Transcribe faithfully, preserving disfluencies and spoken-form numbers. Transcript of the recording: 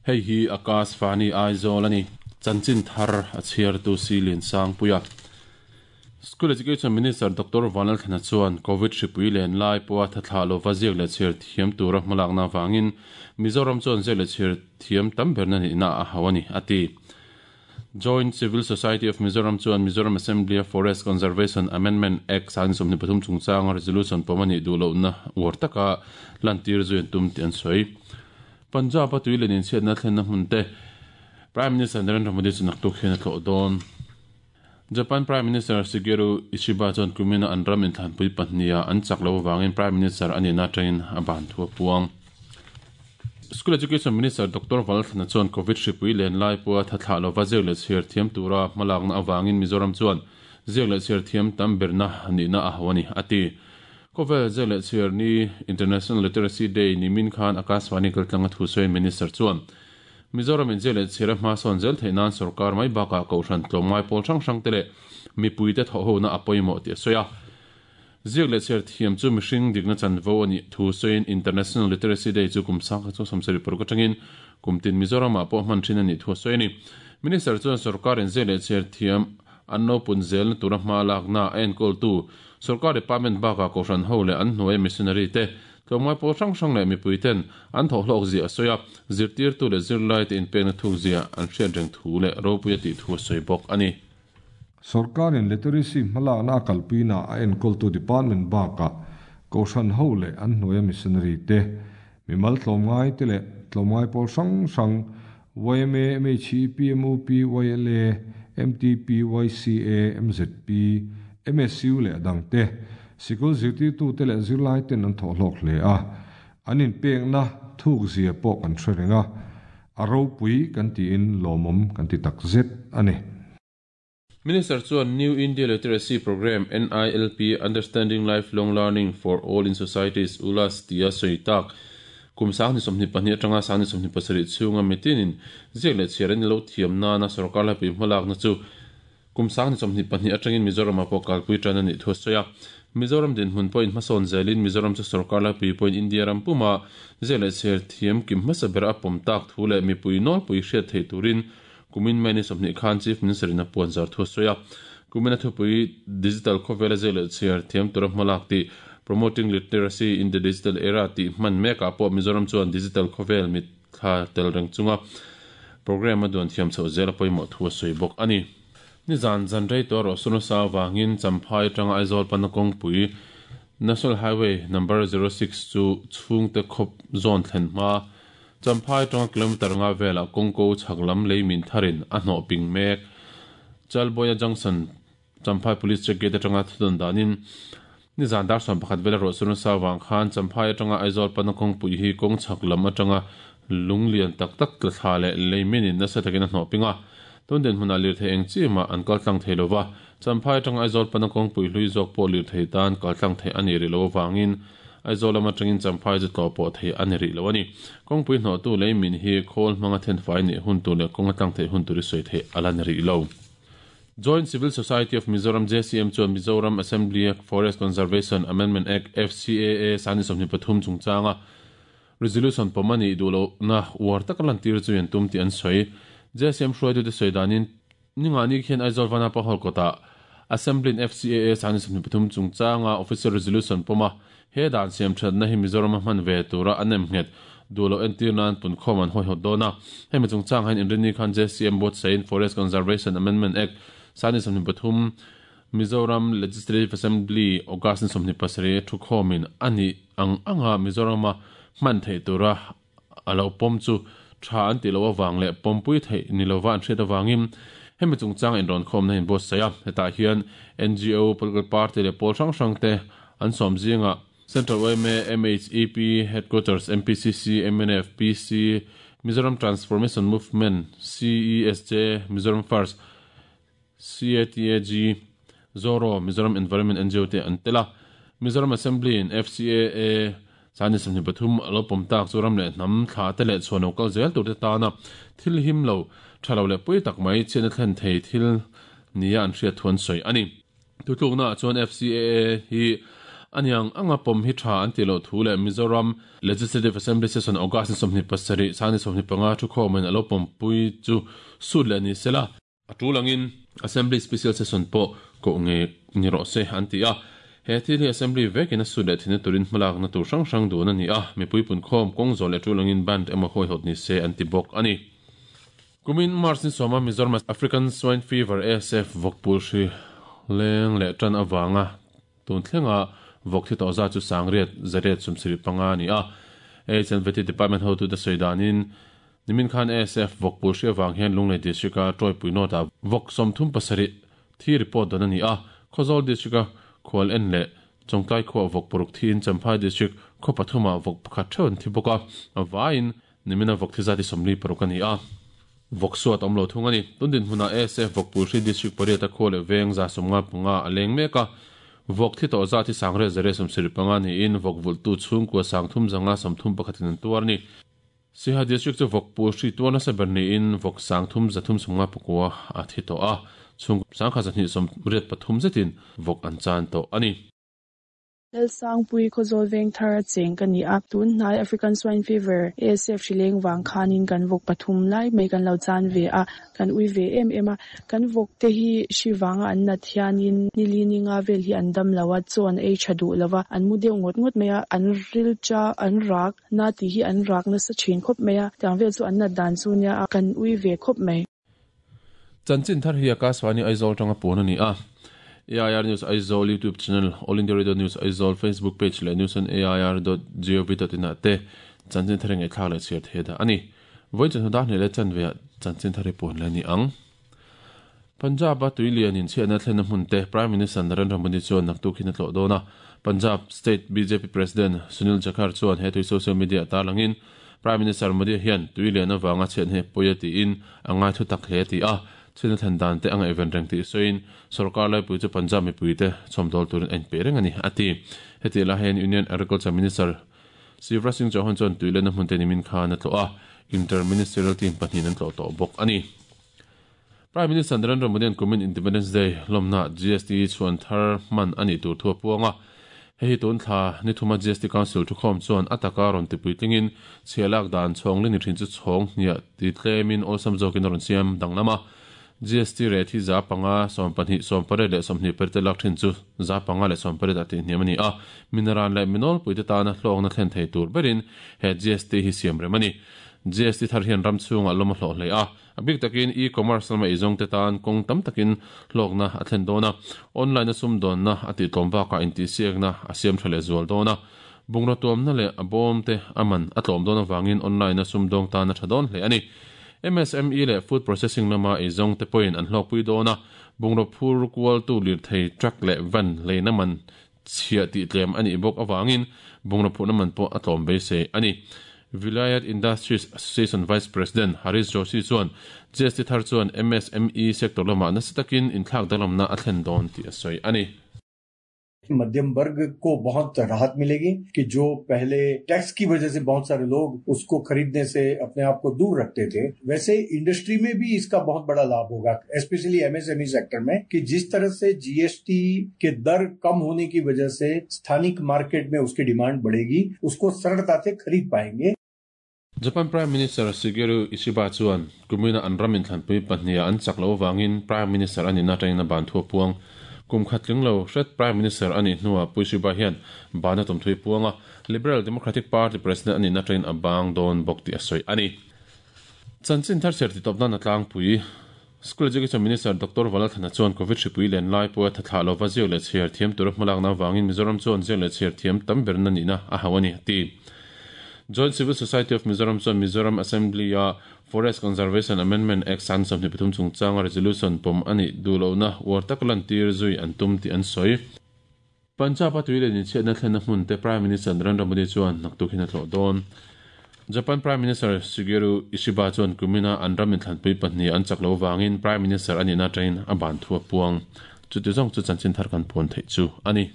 Hei hi Akashvani Aizawl ani chanchin thar a chhiar tu silin sangpuia School Education Minister Doctor Vanlalthlana chuan COVID hripui len lai pawha thathla lova ziak leh chhiar thiam tura hmalakna vangin Mizoram chuan ziak leh chhiar thiam tam berna nihna a hau ani ati. Joint Civil Society of Mizoram chuan Mizoram Assembly Forest Conservation Amendment Act sang sawmhnih pathum chungchanga resolution pawmani duhlohna uar taka lantir zuin tum ti an sawi. Punjab a tuilen in chhiatna thlenna hmun te Prime Minister Narendra Modi chu naktuk hian a tlawh dawn. Japan Prime Minister Shigeru Ishiba chuan kumina an ram inthlanpui pahnia an chak lo wangin Prime Minister ani na tangin a ban thu a puang. School Education Minister Doctor Vanlalthlana chuan COVID hripui len lai pawha thathla lova ziak leh chhiar thiam tura hmalakna awangin Mizoram chuan ziak leh chhiar thiam tam berna nihna a hau ani ati. Kovel ziak leh chhiar ni International Literacy Day ni min khan Akashvani kaltlanga thu sawiin Minister chuan Mizoram in ziak leh chhiar a hma sawn zel theih nan sarkar mai bakah kohhran tlawmngai pawl hrang hrang te leh mipui te thawh hona a pawimawh tih a sawi a. Ziak leh chhiar thiam chu mihring dikna chanvo ani thu sawiin International Literacy Day chu kum sang kha chu sawmsarih paruk atangin kumtin Mizoram ah pawh hman thin ani thu a sawi ani. Minister chuan sarkar in ziak leh chhiar thiam an no pun zel na tura hma lakna a enkawl tu sarkar department bakah kohhran ho leh an hnuai missionary te tlawmngai pawl hrang hrang leh mipui ten an thawh hlawk zia a sawi a, zirtir tu leh zirlai te inpekna thuk zia an hriat reng thu leh ropui a tih thu a sawi bawk ani. Sarkarin literacy hmalakna a kalpuina a enkawl tu department bakah kohhran ho leh an hnuai missionary te mimal tlawmngai te leh tlawmngai pawl hrang hrang Y M A, M H E P, M U P, Y L A, M T P, Y C A, M Z P, M S U leh dang te sikul zirtir tu te leh zirlai ten an thawh hlawk hle a, an inpekna thuk zia pawh kan hre renga a ropui kan tiin lawmawm kan ti tak zet ani. Minister chuan New India Literacy Program N I L P Understanding Lifelong Learning for All in Societies ULAS tia sawi tak kum sang ni sawmhnih pahnih atanga sang ni sawmhnih pasarih chhunga mitinin ziak leh chhiar an lo thiam nana sarkar laipui hmalakna chu kum sang ni sawmhnih pahnih atangin Mizoram ah pawh kalpui tan ani thu a sawi a. Mizoram din hmun pawhin hmasawn zelin Mizoram chu sarkar laipui pawhin India ram puma ziak leh chhiar thiam kim hmasa ber a pawm tak thu leh mipui nawlpui hriat thei turin kumin mai ni sawmhnih khan Chief Minister in a puan zar thu a sawi a. Kumin a thupui digital khawvela ziak leh chhiar thiam tura hmalak tih Promoting Literacy in the Digital Era tih hman mekah pawh Mizoram chuan digital khawvel mit thla tel reng chunga program a duan thiam chhoh zel a pawimawh thu a sawi bawk ani. Ni zan zan rei to ro sunusa wangin Champhai tanga Aizawl pana kawngpui National Highway number zero six chu chhungte khawp zawn thlen hma Champhai tanga kilometer nga vela kawngko chhaklam leimin tharin a hnawh ping mek Chalboya Junction Champhai Police Check Gate atanga thudon danin ni zan dar sawm pakhat vela ro sunusa wang khan Champhai atanga Aizawl pana kawngpui hi kawng chhaklam atanga lunglian tak tak tla thla leh leiminin nasa takin a hnawh pinga tun den hmuna lir thei eng chi ma an kal tlang thei lova Champhai atanga Aizawl pana kawngpui hlui zawk pawh lir thei tan kal tlang thei ani ri lo wangin Aizawl lama atangin Champhai chu tlaw pawh thei ani ri lo ani. Kawngpui hnawh tu leimin hi khawl hmanga then fai ni hun tur leh kawng a tlang thei hun tur i sawi thei ala ni ri lo. Joint Civil Society of Mizoram J C M chuan Mizoram Assembly Forest Conservation Amendment Act F C A A sani sawmhnih pathum chungchanga resolution pawmani duhlo na uar tak lantir chu in tum ti an sawi. J C M hruaitu te sawi danin ninga ni khian Aizawl Vanapa hall kawtah Assembly in F C A A sani sawmhnih pathum chungchanga official resolution pawma he dan siam thatna hi Mizoram a hman ve tura an em nghet duhlo entir nan punkhawm an hawi hawt dawn a. Hemi chungchang hian inrini khan J C M board sain Forest Conservation Amendment Act sani sawmhnih pathum Mizoram Legislative Assembly August ni sawmhnih pasarih thu khawmin ani ang anga Mizoram a hman thei tura a lo pawm chu tha an ti lo awang leh pawmpui thei ni lova an hriat awangin hemi chungchang in rawn khawm na in boss saia hetah hian N G O political party leh pawl hrang hrang te an sawm zinga Central Y M A, M H E P, Headquarters, M P C C, M N F, P C, Mizoram Transformation Movement, C E S J, Mizoram First, C A T A G, Zoro, Mizoram Environment N G O te an tela Mizoram Assembly in F C A A sani sawmhnih pathum lo pawm tak chu ram leh hnam thla te leh chhuan lo kal zel tur te tana thil him lo thalo leh pui tak mai chhiatna thlen thei thil nia an hriat thuan sawi ani. Tutluk na chuan F C A A hi aniang anga pom hi tha an ti lo thu le Mizoram Legislative Assembly Session August somni pasari sani somni panga thu khomen alo pom pui chu sut le ni sela atulangin Assembly Special Session po ko nge ni ro se an ti a he thil hi Assembly vekin a sut le thina turin hmalak na tur hrang hrang dun ani a mipui pun khom kong zo le tulangin band emaw hoi hot ni se an ti bok ani. Kumin March ni soma Mizoram African Swine Fever A S F vokpul hri leng le tan awanga tun thlenga vok thi to za chu sangriat zariat sumsiri panga ni a H and V T Department ho tu da soidanin nimin khan A S F vokpul hri awang hian lunglei district a troi pui nota vok somthum pasari thi report don ani a Khawzawl district a khwal en le chongtlai khaw vok poruk thin Champhai district khaw pathuma vok pakhat thon thi boka awain nimina vok thi zati somli paruk ani a vok suat omlo thung ani tundin huna A S F vokpul hri district pariat a khawle veng za somnga panga aleng meka vok thi to za thi sangre zare somsiri panga ni in vok vul tu chung ko sangthum zanga somthum pakhatin an tuar ni Siha district chu vokpul hri tuarna sa ber ni in vok sangthum zathum somnga pakua a thi to a chung sangkha zahni som riat pathum zetin vok an chan to ani. Lelsang pui Khawzawl veng thar a cheng ka ni a tun hnai African Swine Fever A S F hrileng wang khanin kan vok pathum lai mai kan lo chan ve a kan ui ve em em a kan vok te hi hri wanga an na thianin nili ni nga vel hi an dam lawa chuan ei tha du lawa an mu deuh ngot ngot mai a an ril cha an rak na ti hi an rak na sa thin khop mai a tiang vel chu an na dan chu nia a kan ui ve khop mai. Chanchin thar hi Akashvani Aizawl tanga pon ani a A I R News Aizawl YouTube channel, All India Radio News Aizawl Facebook page le news on A I R dot gov dot in te chanchin thar ngai thlak le chhiar the da ani voi chan da ne le chan ve chanchin thar pon le ni ang. Punjab a tuilian in chiana thlen hmun te Prime Minister Narendra Modi chuan naktu khin tlo dona Punjab State B J P President Sunil Jakhar chuan he tui social media tarlangin Prime Minister Modi hian tuilian awanga chen he poyati in anga thu tak hle ti a china thandan te anga event reng ti soin sarkar lai pui chu Punjab mi pui te chomdol turin en pe reng ani ati heti la hen Union Agriculture Minister Shivraj Singh Chauhan chuan tuilen a hmun te nimin khan a tlo a interministerial team pahnih an tlo to bawk ani. Prime Minister Narendra Modi an kumin Independence Day lomna G S T chuan thar man ani tur thua puanga hei tun thla ni thuma G S T Council thu khom chuan ataka ron ti puitlingin chhelak dan chhong le ni thin chu chhong nia ti tlemin awlsam zawkin a rawn siam danglama G S T rate hi za panga som pahnih som pariat leh sawmhnih pariat te lak thin chu za panga leh som pariat a ti hniam ani a mineral leh minol puite tana hlawkna thlen thei tur berin he G S T hi siam rem ani. G S T thar hian ram chhunga lawm a hlawh hle a a bik takin e-commerce lama eizawng te tan kawng tam takin hlawkna a thlen dawn a online a sum dawnna a tih tlawm bakah intihsiakna a siam tha leh zual dawn a bungraw tuamna leh a bawm te a man a tlawm dawn awangin online a sum dawng tan a tha dawn hle ani. M S M E le food processing lama eizawng te pawhin an hlawkpui dawn a bungraw phur kual tu lir thei truck leh van leina man chhiah tih tlem ani bawk awangin bungraw phurna man pawh a tlawm beisei ani. Vilayat Industries Association Vice President Harish Joshi chuan G S T thar chuan M S M E sector lama nasa takin inthlak danglamna a thlen dawn tih a sawi ani. मध्यम वर्ग को बहुत राहत मिलेगी कि जो पहले टैक्स की वजह से बहुत सारे लोग उसको खरीदने से अपने आप को दूर रखते थे, वैसे इंडस्ट्री में भी इसका बहुत बड़ा लाभ होगा, specially MSME sector में, कि जिस तरह से जीएसटी के दर कम होने की वजह से स्थानिक मार्केट में उसकी डिमांड बढ़ेगी, उसको सरलता से खरीद पाएंगे। Japan Prime Minister Shigeru Ishiba chuan kumina an ramin thlanpui pahnia an chak lo wangin Prime Minister ani na tangina ban thu puang kum khatling lo hret Prime Minister ani hnuwa Puishiba hian bana tum thui puanga Liberal Democratic Party President ani na tangin abang don bok ti asoi ani. Chanchin thar ser ti topna na tlang pui School Education Minister Doctor Valathana chuan Covid hripui len lai pawh thathla lova ziak leh chhiar thiam tur hmalak na wangin Mizoram chuan ziak leh chhiar thiam tam ber na nihna a hau ani ti. Joint Civil Society of Mizoram chuan Mizoram Assembly a Forest Conservation Amendment Act san sawmhnih pathum chungchanga resolution pawm ani duhlohna uar tak lan tir zui an tum tih an sawi. Punjab a tuilen in chhiatna thlenna hmun te Prime Minister Narendra Modi chuan naktuk hin a tlawh dawn. Japan Prime Minister Shigeru Ishiba chuan kumina an ramin thlanpui pahnih an chak lo wangin Prime Minister ani na tangin a ban thu a puang. Chuti zawng chu chanchin thar kan puan theih chu ani.